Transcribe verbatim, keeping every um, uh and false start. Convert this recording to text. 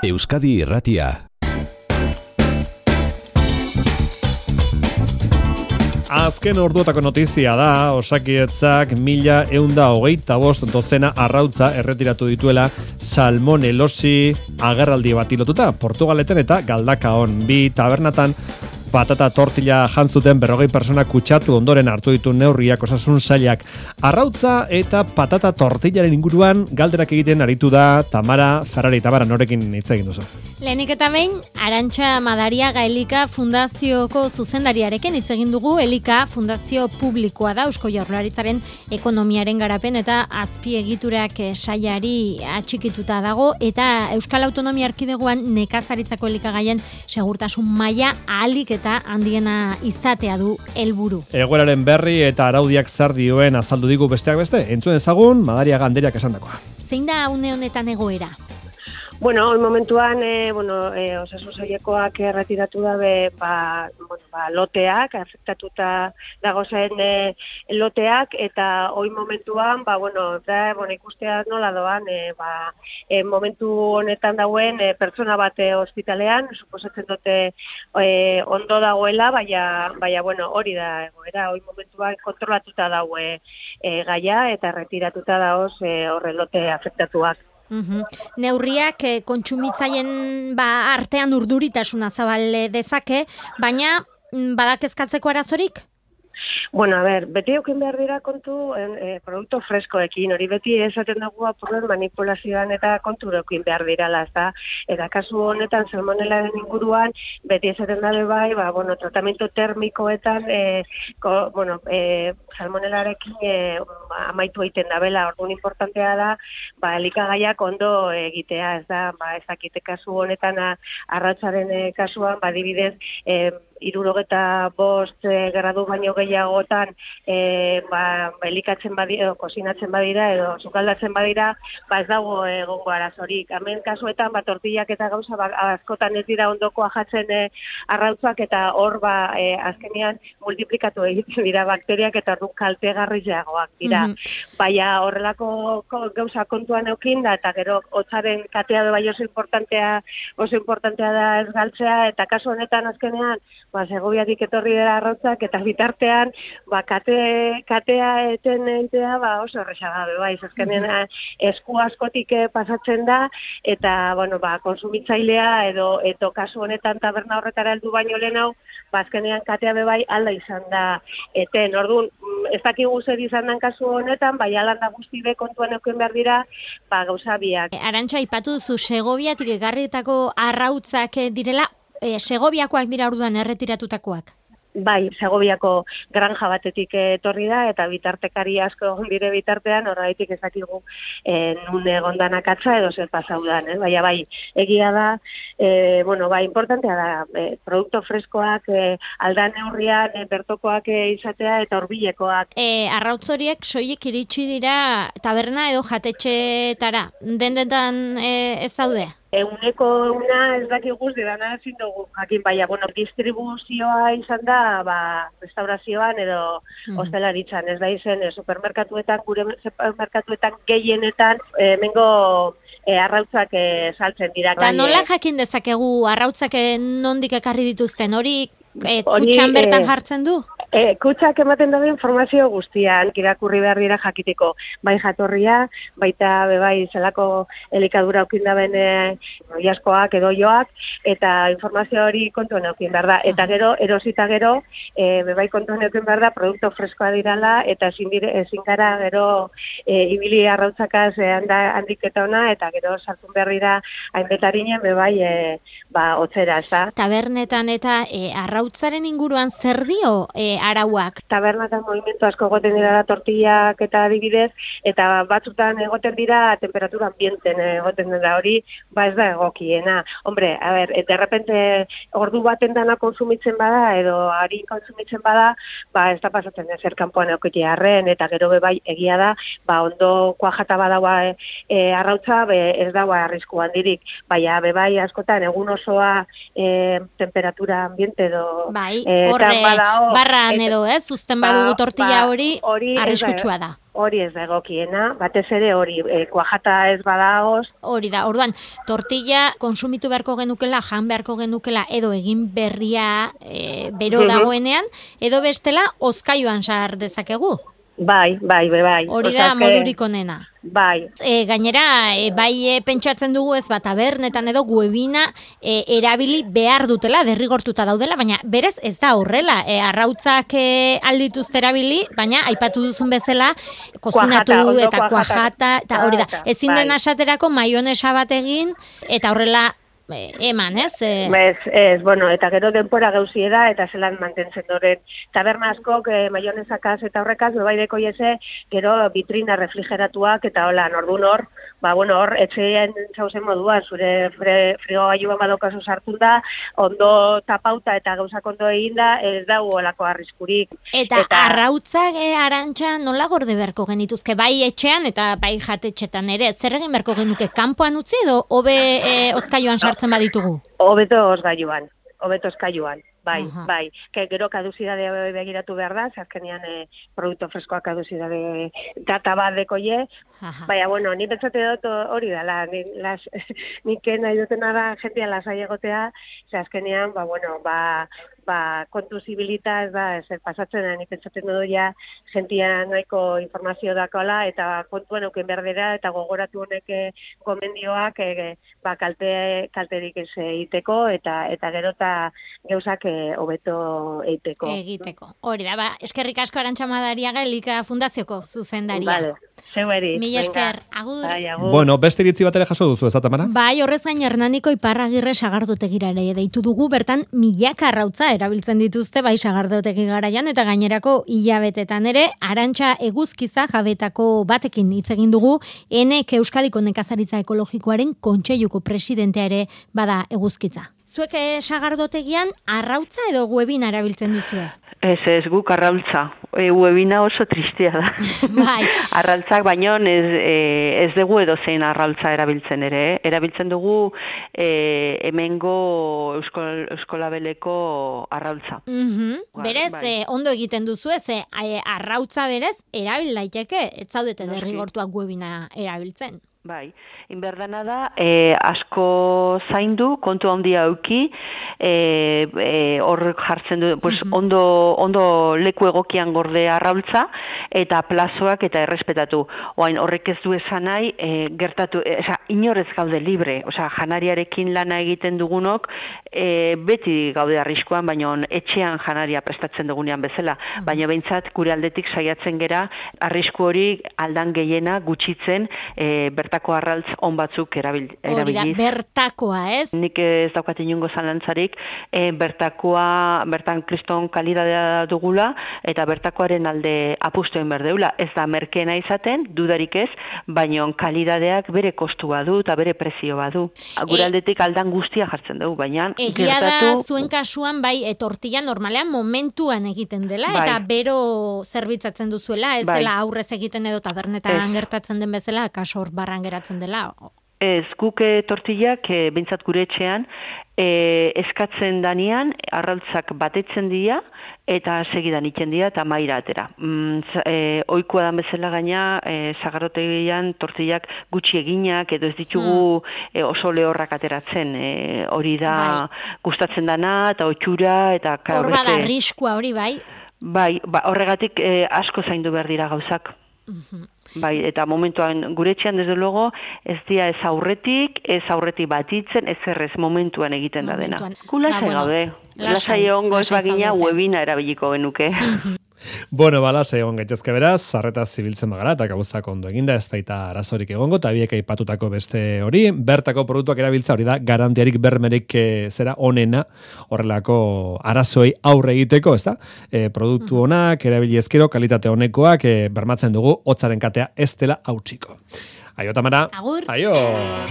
Euskadi Irratia. Azken orduotako notizia da, Osakidetzak mila eunda hogeita bost dozena arrautza erretiratu dituela salmonelosi agerraldi bat lotuta. Portugaleten eta Galdakaon bi tabernatan patata tortilla jantzuten berrogei persona kutsatu ondoren hartu ditu neurriak osasun sailak. Arrautza eta patata tortillaren inguruan galderak egiten aritu da Tamara Ferrari. Tamara, norekin hitz egin duzu? Lehenik eta behin, Arantxa Madariaga Elika Fundazioko zuzendariarekin hitz egin dugu. Elika fundazio publikoa da, Eusko Jaurlaritzaren ekonomiaren garapen eta azpiegiturak sailari atxikituta dago, eta Euskal Autonomia Erkidegoan nekazaritzako elikagaien segurtasun maila ahalik eta handiena izatea du helburu. Egoeraren berri eta araudiak zer dioen azaldu digu besteak beste. Entzuen ezagun Madariaga Andreak esandakoa. Zein da une honetan egoera? Bueno, hori momentuan, e, bueno, e, osasun sailekoak erretiratu dabe, ba, bueno, ba, loteak, afektatuta dagozen e, loteak, eta hori momentuan, ba, bueno, da, bueno, ikustea nola doan, e, ba, e, momentu honetan dauen e, pertsona bat e, ospitalean, suposatzen dute e, ondo dagoela, baina, baina, bueno, hori da egoera, hori momentuan kontrolatuta daue e, gaia, eta erretiratuta daoz e, horre lote afektatuak. Uhum. Neurriak eh, kontsumitzaien ba, artean urduritasuna zabal dezake, baina badak ezkatzeko arazorik? Bueno, a ver, beti eukin behar dira kontu eh, produktu freskoekin, hori beti esaten dugu apurren manipulazioan eta kontu eukin behar dirala, ezta? Eta kasu honetan salmonelaren inguruan, beti esaten dabe bai, ba, bueno, tratamiento termikoetan, eh, ko, bueno, eh, salmonelarekin eh, amaitu egiten dabela, orduan importantea da, ba, elikagaiak ondo egitea, ez da, ba, ez dakite kasu honetan arratzaren eh, kasuan, ba, dibidez, eh, irurogeta bost e, gradu baino gehiagotan e, ba, elikatzen badira, edo kosinatzen badira, edo sukaldatzen badira, ba ez dago egongo arazorik. Hemen kasuetan, ba, tortillak eta gauza, ba, askotan ez dira ondoko ajatzen e, arrautzak, eta hor, ba, e, azkenean multiplikatu egiten dira bakteriak, eta orduan kaltegarriagoak dira. Mm-hmm. Baina horrelako gauza kontuan eukin da, eta gero hotzaren katea bai oso importantea, oso importantea da ez galtzea, eta kasu honetan azkenean, ba, Segoviatik etorri dira arrautzak, eta bitartean, ba, kate, katea eten entea, ba, oso errexaga be, bai, azkenean esku askotik pasatzen da, eta, bueno, ba, konsumitzailea, edo, edo kasu honetan taberna horretara heldu baino lehen hau, ba, azkenean katea be, bai, alda izan da eten. Orduan, ez dakigu zer izan den kasu honetan, bai, alanda guzti be kontuan euken behar dira, ba, gauza biak. Arantxa, aipatu duzu, Segoviatik egarritako arrautzak direla, E, Segoviakoak dira orduan erretiratutakoak? Bai, Segoviako granja batetik etorri da, eta bitartekari asko egon dire bitartean, horregatik ezakigu e, nun egondanak atza edo zer pasaudan, eh? Baina bai, egia da, e, bueno, bai, importantea da, e, produkto freskoak, e, aldan neurrian, e, bertokoak e, izatea, eta horbilekoak. E, arrautzoriek soilik iritsi dira taberna edo jatetxeetara, dendetan e, ez daude? Eguneko una ez dakiguz didana ezin dugu jakin, baina, bueno, distribuzioa izan da, ba, restaurazioan edo mm. hostelaritzan, ez da izen, e, supermerkatuetan, gure supermerkatuetan gehienetan, e, mengo e, arrautzak e, saltzen dira. Eta nola jakin dezakegu arrautzak nondik ekarri dituzten, hori e, kutxan bertan e, jartzen du? E, kutxak ematen dabe informazio guztian, irakurri behar dira jakiteko, bai jatorria, baita bebai zelako elikadura aukin daben e, oiaskoak edo joak, eta informazio hori kontuan aukin behar da. Eta gero, erosita gero, e, bebai kontuan aukin behar da, produkto freskoa dirala, eta ezin, dire, ezin gara gero e, ibili arrautzakaz e, handik eta ona, eta gero sartun behar dira hainbetarinen bebai e, ba, otzera, ez da. Tabernetan eta e, arrautzaren inguruan zer dio e, arauak? Tabernatan movimentu asko egoten dira tortillak eta adibidez, eta batzutan egoten dira temperatura ambienten egoten dira, hori, ba ez da egokiena. Hombre, a ber, de repente ordu baten dana konsumitzen bada, edo ari konsumitzen bada, ba ez da pasatzen ezer kanpoan eukiti arren, eta gero bebai egia da, ba ondo kuajata badaua e, e, arrautza, be, ez daua arrisku handirik, baina bebai askotan egun osoa e, temperatura ambiente edo bai, e, horre, barra Etxean edo, ez? Uzten badugu tortilla hori, arriskutsua da. Hori ez da egokiena, batez ere hori, e, kuajata ez badagoz. Hori da, orduan, tortilla konsumitu beharko genukela, jan beharko genukela, edo egin berria e, bero dagoenean, edo bestela, hozkailuan sar dezakegu. Bai, bai, bai, bai. Hori da modurik onena. Bai. E, gainera, e, bai e, pentsatzen dugu ez bat tabernetan edo webina e, erabili behar dutela, derrigortuta daudela, baina berez ez da horrela. E, arrautzak e, aldituzte erabili, baina aipatu duzun bezala, kozinatu kuajata, eta kuajata, eta hori da. Ezin bai. den asaterako maionesa bat egin, eta horrela eman, ez? E... Ez, ez, bueno, eta gero denpora gauzie da, eta zelan mantentzen doren. Taberna askok, eh, maionesakaz eta horrekaz, bebaideko jeze, gero vitrina refrigeratuak, eta hola, nordun hor, ba, bueno, hor, etxean zauzen modua, zure fre, frigo gaiuan badokazu sartun da, ondo tapauta eta gauzak ondo egin da, ez da olako arriskurik. Eta, eta... arrautzak e, Arantxa nola gorde beharko genituzke, bai etxean eta bai jatetxetan ere, zer egin beharko genuke, kanpoan utzi edo, hobe e, ozkailuan sartzen baditugu? Hobeto ozgailuan, hobeto ozkailuan. Bai, Aha. bai. Ke gero kaduzidade begiratu behar da, azkenean eh, produktu freskoak kaduzidade data bat dekoie. Baina, bueno, ni pentsate dut hori dela, ni, las, nik nahi dutena da jentia lasai egotea, ze azkenean, ba, bueno, ba, ba, kontu zibilita ez da, ez pasatzen da, ni pentsatzen dut ja, jentia nahiko informazio dakola, eta kontuan euken berdera, eta gogoratu honek gomendioak, e, ba, kalte, kalterik ez egiteko, eta, eta gero eta geuzak hobeto eiteko. Egiteko. Hori da, ba, eskerrik asko Arantxa Madariaga Elika Fundazioko zuzendaria. Vale, zeueri. Mila esker, agur. Bai, agur. Bueno, beste iritzi bat ere jaso duzu, ez Tamara? Bai, horrez gain Hernaniko Iparragirre sagardotegirare deitu dugu, bertan milaka arrautza erabiltzen dituzte, bai sagardotegi garaian, eta gainerako hilabetetan ere, Arantxa Eguzkiza jabetako batekin hitz egin dugu, enek Euskadiko Nekazaritza Ekologikoaren kontseiluko presidentea ere bada Eguzkiza. Zuek sagardotegian arrautza edo webina erabiltzen duzue? Ez, ez, guk arrautza. E, webina oso tristea da. Bai. Arrautzak baino ez, e, ez dugu edo zein arrautza erabiltzen ere. Eh? Erabiltzen dugu e, hemengo euskol, euskolabeleko arrautza. Mm-hmm. Bai, berez, bai. E, ondo egiten duzu ez, e, arrautza berez, erabil daiteke, ez zaudete derrigortuak webina erabiltzen. Bai, inberdana da, e, asko zaindu, kontu handia auki, e, e, hor jartzen du, pues, uh-huh. ondo, ondo leku egokian gorde arraultza, eta plazoak eta errespetatu. Oain, horrek ez du esan nahi, e, gertatu, e, oza, inorez gaude libre, oza, janariarekin lana egiten dugunok, e, beti gaude arriskuan, baina etxean janaria prestatzen dugunean bezala, uh-huh. baina behintzat gure aldetik saiatzen gera, arrisku hori aldan gehiena gutxitzen, e, bertako arraltz on batzuk erabil, erabiliz. Hori da, bertakoa, ez? Nik ez daukat inongo zalantzarik, e, bertakoa, bertan kriston kalidadea dugula, eta bertakoaren alde apustuen berdeula. Ez da merkeena izaten, dudarik ez, baina kalidadeak bere kostua du eta bere prezioa du. Gure e, aldetik aldan guztia jartzen dugu, baina egia gertatu... da zuen kasuan, bai, e, tortilla normalean momentuan egiten dela, bai. Eta bero zerbitzatzen duzuela, ez bai. Dela aurrez egiten edo tabernetan gertatzen den bezala, kaso hor barran geratzen dela. Ez, guk e, tortillak, e, bintzat gure etxean, e, eskatzen danean, arrautzak batetzen dira, eta segidan iten dira, eta maira atera. Mm, e, oikoa dan bezala gaina, e, zagarrotegian tortillak gutxi eginak, edo ez ditugu hmm. e, oso lehorrak ateratzen. E, hori da bai. Gustatzen dana, eta otxura, eta... Hor bada arriskua hori, bai? Bai, ba, horregatik e, asko zaindu behar dira gauzak. Mhm. Bai, eta momentuan gure etxean desde luego ez dia ez aurretik, ez aurretik batitzen, ez errez momentuan egiten momentuan. Da dena. Gula bueno, gaude. Lasai ongo ez bagina webina erabiliko genuke. Bueno, bala, egon gaitezke beraz, zarretaz zibiltzen bagara, eta gauzak ondo eginda, ez baita arazorik egongo, eta biek aipatutako beste hori, bertako produktuak erabiltza hori da, garantiarik bermerik e, zera onena, horrelako arazoei aurre egiteko, ez da? E, produktu honak, erabili ezkero, kalitate honekoak, e, bermatzen dugu, hotzaren katea ez dela hautsiko. Aio, Tamara. Agur. Aio.